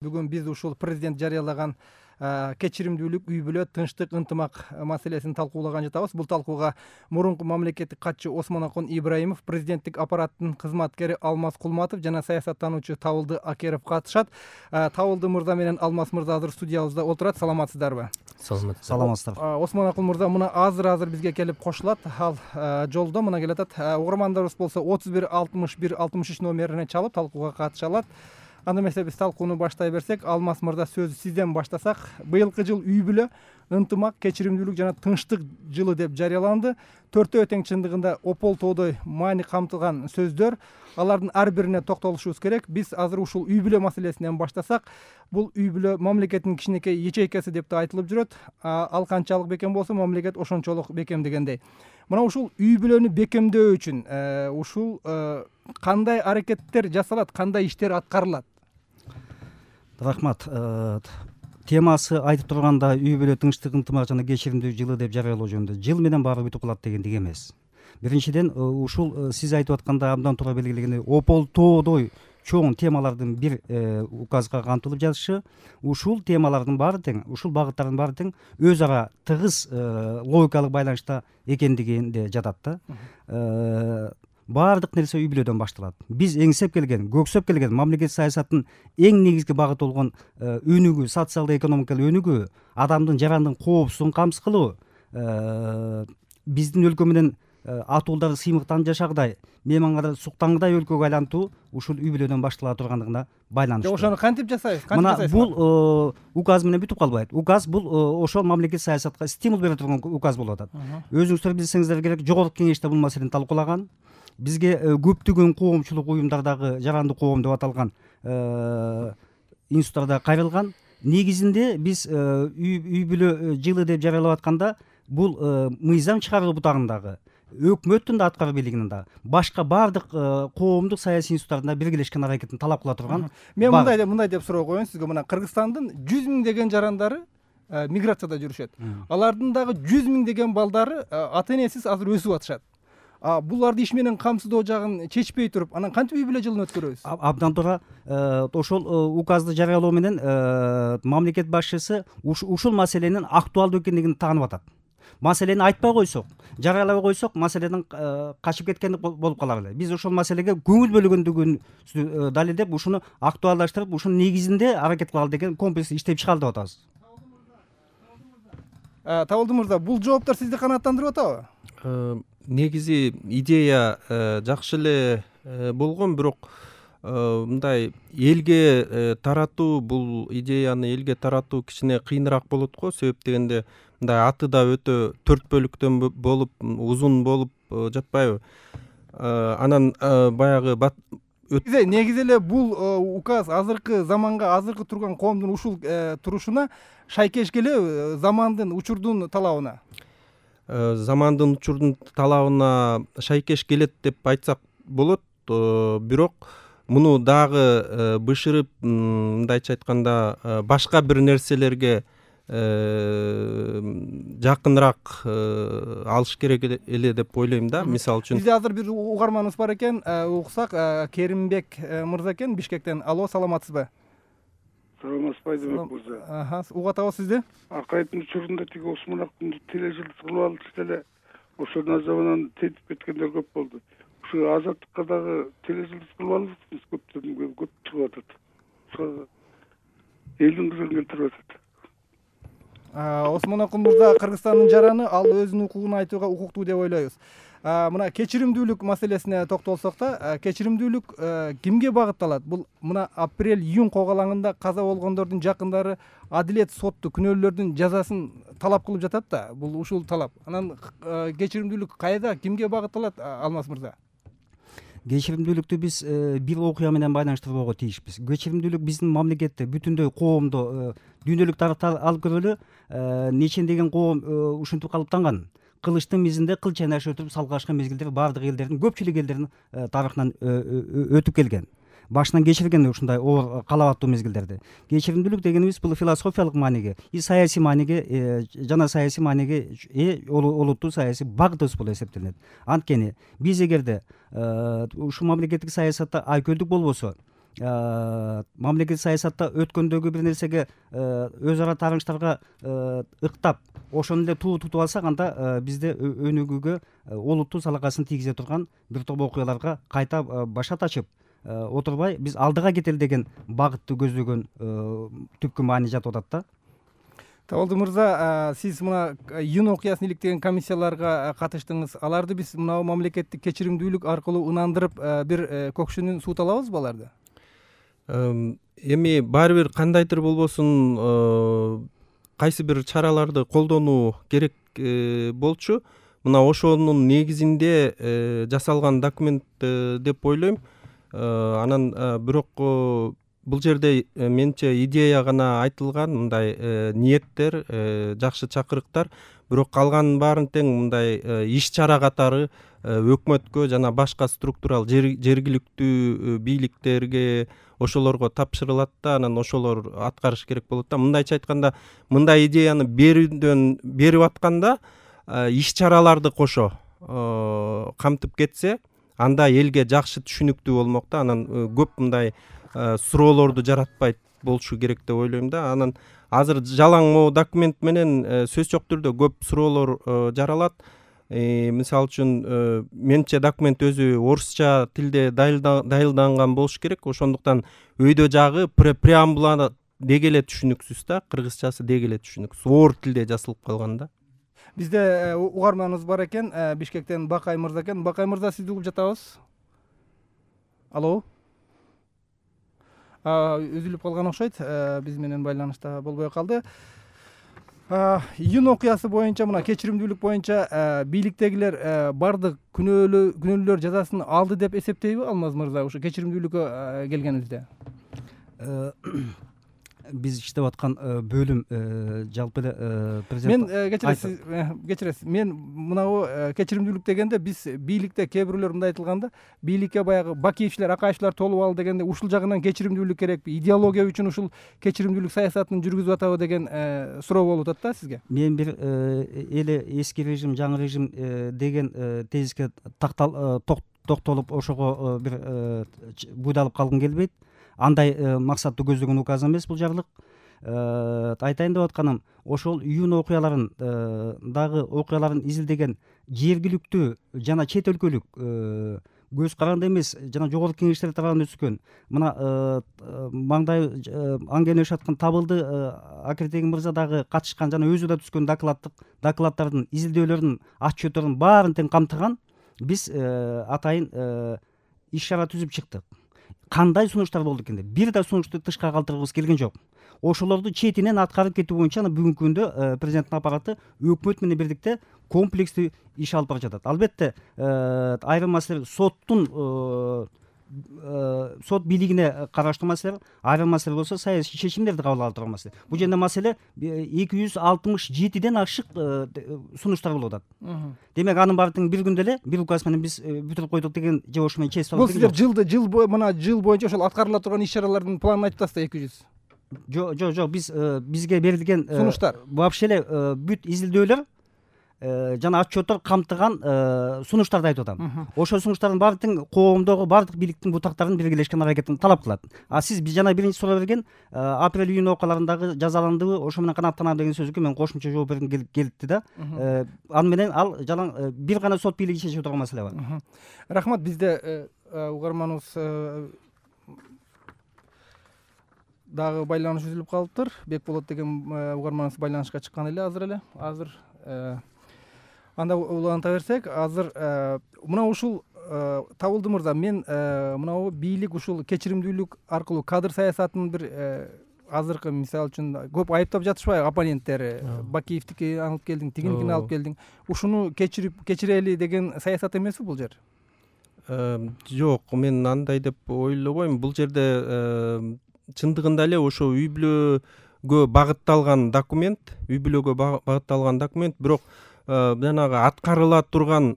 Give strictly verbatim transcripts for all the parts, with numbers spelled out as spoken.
Бүгүн биз ушул президент жарыялаган кечиримдүүлүк, үй бүлө, тынчтык, ынтымак маселесин талкуулаган жатабыз. Бул талкууга мурунку мамлекеттик катчы Осмонакун Ибраимов, президенттик аппараттын кызматкери Алмаз Кулматов жана саясаттануучу Табылды Акеров катышат. Табылды мырза менен Алмаз мырза азыр студиябызда отурат. Саламатсыздарбы? Саламатсыздар. Осмонакун мырза мына азыр-азыр бизге келип кошулат. Ал жолдо мына келатат. Угармандарыбыз болсо отуз бир алтымыш бир алтымыш үч номерине чалып талкууга катыша алат. Анда эмесе биз талкууну баштай берсек, Алмаз мырза, сөзү сизден баштасак. Быйылкы жыл үй бүлө, ынтымак, кечиримдүүлүк жана тынчтык жылы деп жарыяланды. Төртөө тең чындыгында опол тоодой маани камтылган сөздөр. Алардын ар бирине токтолушубуз керек. Биз азыр ушул үй бүлө маселесинен баштасак, бул үй бүлө мамлекеттин кичинекей ячейкасы деп да айтылып жүрөт. Ал канчалык бекем болсо, мамлекет ошончолук бекем дегендей. Мына ушул үй бүлөнү бекемдөө үчүн ушул кандай аракеттер жасалат, кандай иштер аткарылат? Рахмат. Темасы айтып турганда үй бүлө, тынчтык, ынтымак жана кечиримдүү жылы деп жарыялоо жөнүндө. Жыл менен баары бүтүп калат дегендик эмес. Биринчиден, ушул сиз айтып атканда абдан туура белгилегендей опол тоодой чоң темалардын бир указга камтылып жатышы, ушул темалардын баары тең, ушул багыттардын баары тең өз ара тыгыз логикалык байланышта экендигинде жатат да. Баардык нерсе үй бүлөдөн башталат. Биз эңсеп келген, көксөп келген мамлекет саясатынын эң негизги багыты болгон өнүгүү, социалдык экономикалык өнүгүү, адамдын жарандын коопсуздугун камсыз кылуу, биздин өлкө менен атуулдарды сыймыктан жашагыдай, мейманга суктангыдай өлкөгө айлантуу ушул үй бүлөдөн баштала тургандыгына байланыштуу. Ошону кантип жасайбыз? Мына бул указ менен бүтүп калбайт. Указ бул ошол мамлекет саясатка стимул бере турган указ болуп атат. Өзүңүздөр билсеңиздер керек, жогорку кеңеште бул маселени талкуулаган. Бизге көптөгөн коомчулук уюмдардагы жарандык коом деп аталган институттарда кайрылган. Негизинде биз үй бүлө жылы деп жарыялап атканда, бул мыйзам чыгаруу бутагындагы, өкмөттүн да аткаруу бийлигинин да, башка баардык коомдук саясий институттардын биргелешкен аракетин талап кыла турган. Мен мындай деп мындай деп суроо коеюн сизге. Мына Кыргызстандын жүз миңдеген жарандары миграцияда жүрүшөт. Алардын дагы жүз миңдеген балдары ата энесиз азыр өсүп атышат. Буларды иш менен камсыздоо жагын чечпей туруп, анан кантип үй бүлө жылын өткөрөбүз? Абдан туура. Ошол указды жарыялоо менен мамлекет башчысы ушул маселенин актуалдуу экендигин таанып атат. Маселени айтпай койсок, жарыялабай койсок, маселенин качып кеткени болуп калар эле. Биз ошол маселеге көңүл бөлгөндүгүн далилдеп, ушуну актуалдаштырып, ушунун негизинде аракет кылалы деген комплекс иштеп чыгалы деп атабыз. Табылды мырза, бул жооптор сизди канааттандырып атабы? Негизи идея жакшы эле болгон, бирок мындай элге таратуу, бул идеяны элге таратуу кичине кыйыныраак болот го. Себеп дегенде мындай аты да өтө төрт бөлүктөн болуп, узун болуп жатпайбы? Анан баягы негизи эле бул указ азыркы заманга, азыркы турган коомдун ушул турушуна шайкеш келеби, замандын, учурдун талабына? Замандын, учурдун талабына шайкеш келет деп айтсак болот. Бирок муну дагы бышырып, мындайча айтканда, башка бир нерселерге жакыныраак алыш керек эле деп ойлойм да. Мисалы үчүн бизде азыр бир угарманыбыз бар экен, уксак. Керимбек мырза экен, Бишкектен. Алло, саламатсызбы? Саламатсызбы, Айдабек мырза. Угат атабыз сизди. Акайдын учурунда тиги Осмонакунду тележылдыз кылып алыш деле ошонун заманан тетип кеткендер көп болду. Ушу азаттыкка дагы тележылдыз кылып алышыбыз көптөн көп чыгып атат. Ошо элдин кызын келтирип атат. Осмонакун мырза Кыргызстандын жараны, ал өзүнүн укугун айтууга укуктуу деп ойлойбуз. Мына кечиримдүүлүк маселесине токтолсок да, кечиримдүүлүк кимге багытталат? Бул мына апрель-июнь когалаңында каза болгондордун жакындары адилет сотту күнөөлөрдүн жазасын талап кылып жатат да. Бул ушул талап. Анан кечиримдүүлүк кайда, кимге багытталат, Алмаз мырза? Кечиримдүүлүктү биз бир окуя менен байланыштырбоого тийишпиз. Кечиримдүүлүк биздин мамлекетте, бүтүндөй коомдо, дүйнөлүк тарыхта алып көрөлү, нечендеген коом ушинтип калыптанган. Кылычтын мизинде кыл чайнаш өтүп салгашкан мезгилдер баардык элдердин, көпчүлүк элдердин тарыхынан өтүп келген. Башынан кечирген ушундай оор калабаттуу мезгилдерди. Кечиримдүүлүк дегенибиз бул философиялык мааниге, и саясий мааниге жана саясий мааниге э олуттуу саясий багытыбыз болуп эсептелет. Анткени биз эгерде ушул мамлекеттик саясатта айкөлдүк болбосо, мамлекеттик саясатта өткөндөгү бир нерсеге өз ара тааныштарга ыктап ошону эле туу тутуп алсак, анда бизде өнүгүүгө олуттуу салакасын тийгизе турган бир топ окуяларга кайта башат ачып отурбай биз алдыга кетели деген багытты көздөгөн түпкү маани жатып атат да. Табылды мырза, сиз мына июнь окуясын иликтеген комиссияларга катыштыңыз. Аларды биз мына мамлекеттик кечиримдүүлүк аркылуу ынандырып бир көкшүнүн суут алабызбы аларды? Эми баары бир кандайдыр болбосун кайсы бир чараларды колдонуу керек болчу. Мына ошонун негизинде жасалган документ деп ойлойм. Анан бирок бул жерде менимче идея гана айтылган, мындай ниеттер, жакшы чакырыктар, бирок калганын баарын тең мындай иш чара катары өкмөткө жана башка структурал жергиликтүү бийликтерге ошолорго тапшырылат да, анан ошолор аткарыш керек болот да. Мындайча айтканда, мындай идеяны берүүдөн берип атканда иш чараларды кошо камтып кетсе, анда элге жакшы түшүнүктүү болмок да. Анан көп мындай суроолорду жаратпайт болушу керек деп ойлойм да. Анан азыр жалаң могу документ менен сөз жок түрдө көп суроолор жаралат. Мисалы үчүн менимче документ өзү орусча тилде дайылданган болуш керек. Ошондуктан өйдө жагы преамбула деги эле түшүнүксүз да, кыргызчасы деги эле түшүнүксүз, оор тилде жазылып калган да. Бизде угарманыбыз бар экен, Бишкектен Бакай мырза экен. Бакай мырза, сизди угуп жатабыз. Алло. Үзүлүп калган окшойт, биз менен байланышта болбой калды. Июнь окуясы боюнча, мына кечиримдүүлүк боюнча бийликтегилер бардык күнөөлөр жазасын алды деп эсептейби Алмаз мырза, ушу кечиримдүүлүккө келгенибизде? Биз иштеп аткан бөлүм жалпы эле президент мен кечиресиз, кечиресиз. Мен мынау кечиримдүүлүк дегенде биз бийликте кээ бирөөлөр мындай айтылганда, бийликке баягы Бакиевчилер, Акаевчилер толуп алды дегенде, ушул жагынан кечиримдүүлүк керекпи? Идеология үчүн ушул кечиримдүүлүк саясатын жүргүзүп атабы деген суроо болуп атат да сизге. Мен бир эле эски режим, жаңы режим деген тезиске токтолуп ошого бир буйдалып калгым келбейт. Андай максатты көздөгөн указ эмес бул жарлык. Айтайын деп атканым, ошол июнь окуяларын дагы окуяларын изилдеген жергиликтүү жана чет өлкөлүк көз каранды эмес жана жогорку кеңештер тарабынан өткөн мына маңдай аңгене жаткан Табылды Акертеген мырза дагы катышкан жана өзү да түзгөн докладдык докладдардын изилдөөлөрүнүн отчетторун баарын тең камтыган биз атайын иш чара түзүп чыктык. Кандай сунуштар болду экен деп бир да сунушту тышка калтыргыбыз келген жок. Ошолорду четинен аткарып кетүү боюнча бүгүнкү күндө президенттин аппараты өкмөт менен бирдикте комплекстүү иш алып бара жатат. Албетте айрым маселе соттун сот бийлигине караштуу маселе, айрым маселе болсо саясий чечимдерди кабыл алып турган маселе. Бул жерде маселе эки жүз алтымыш жетиден ашык сунуштар болуп атат. Демек анын баары тең бир күндө эле бир указ менен биз бүтүрүп койдук деген же ошо менен честь алып. Бул силер жылды жыл бою мына жыл боюнча ошол аткарыла турган иш чаралардын планын айтып атасыздар эки жүз. Жок, жок, жок, биз бизге берилген сунуштар вообще эле бүт изилдөөлөр жана отчеттор камтыган сунуштарды айтып атам. Ошол сунуштардын баары тең коомдогу баардык бийликтин бутактарын биргелешкен аракетин талап кылат. А сиз жана биринчи суроо берген апрель июнь окуяларындагы жазаландыбы, ошо менен канааттанам деген сөзгө мен кошумча жооп бергим келип келипти да. Аны менен ал жалаң бир гана сот бийлиги чечип турган маселе бар. Рахмат. Бизде угарманыбыз дагы байланыш үзүлүп калыптыр. Бекболот деген угарманыбыз байланышка чыккан эле азыр эле. Азыр анда уланта берсек, азыр мына ушул Табылды мырза, мен мынау бийлик ушул кечиримдүүлүк аркылуу кадр саясатынын бир азыркы мисалы үчүн көп айыптап жатышпайбы оппоненттери? Бакиевдики алып келдиң, тигиникини алып келдиң. Ушуну кечирип кечирели деген саясат эмеспи бул жер? Жок, мен андай деп ойлобойм. Бул жерде чындыгында эле ошо үй бүлөгө багытталган документ, үй бүлөгө багытталган документ, бирок жанагы аткарыла турган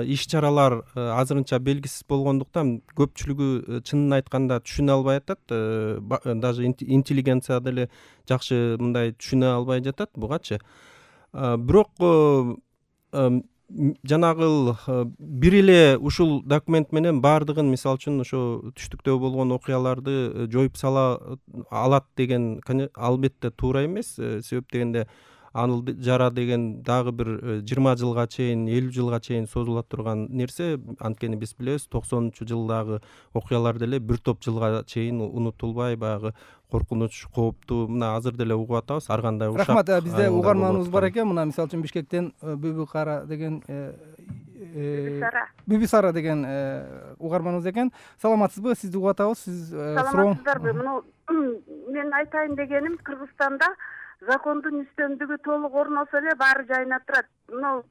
иш чаралар азырынча белгисиз болгондуктан көпчүлүгү чынын айтканда түшүнө албай атат. Даже интеллигенция деле жакшы мындай түшүнө албай жатат бугачы. Бирок жанагы бир эле ушул документ менен баардыгын, мисалы үчүн ошо түштүктө болгон окуяларды жоюп сала алат деген албетте туура эмес. Себеп дегенде Аныл Жара деген дагы бир жыйырма жылга чейин, элүү жылга чейин созула турган нерсе. Анткени биз билебиз, токсонунчу жылдагы окуялар деле бир топ жылга чейин унутулбай, баягы коркунуч, кооптуу, мына азыр деле угуп атабыз. Ар кандай ушак. Рахмат. Бизде угарманыбыз бар экен. Мына мисалы үчүн Бишкектен Бүбү Кара деген Бүбү Сара деген угарманыбыз экен. Саламатсызбы? Сизди угуп атабыз. Сиз сурооң. Саламатсыздарбы? Муну мен айтайын дегеним, Кыргызстанда закондун үстөмдүгү толук орносо эле баары жайына турат. Мына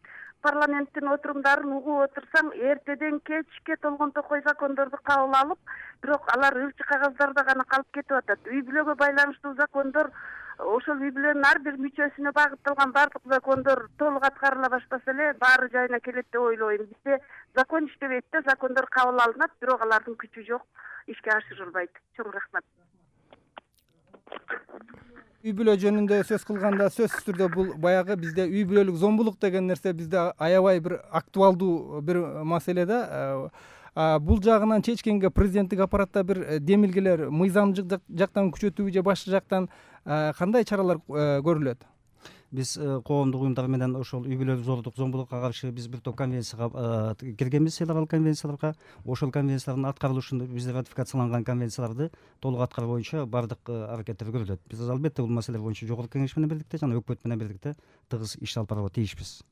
парламенттин отурумдарын угуп отурсаң, эртеден кечке толгон токой закондорду кабыл алып, бирок алар ылчы кагаздарда гана калып кетип атат. Үй бүлөгө байланыштуу закондор, ошол үй бүлөнүн ар бир мүчөсүнө багытталган бардык закондор толук аткарыла баштаса эле баары жайына келет деп ойлойм. Бизде закон иштебейт да, закондор кабыл алынат, бирок алардын күчү жок, ишке ашырылбайт. Чоң рахмат. Үй бүлө жөнүндө сөз кылганда, сөзсүз түрдө бул баягы бизде үй бүлөлүк зомбулук деген нерсе бизде аябай бир актуалдуу бир маселе да. Бул жагынан чечкенге президенттик аппаратта бир демилгелер мыйзамдык жактан күчөтүүбү же башка жактан кандай чаралар көрүлөт? Биз коомдук уюмдар менен ошол үй бүлөлүк зордук, зомбулукка каршы биз бир топ конвенцияга киргенбиз, эл аралык конвенцияларга. Ошол конвенциялардын аткарылышын, бизде ратификацияланган конвенцияларды толук аткаруу боюнча баардык аракеттер көрүлөт. Биз албетте бул маселе боюнча жогорку кеңеш менен бирдикте жана өкмөт менен бирдикте тыгыз иш алып барууга тийишпиз.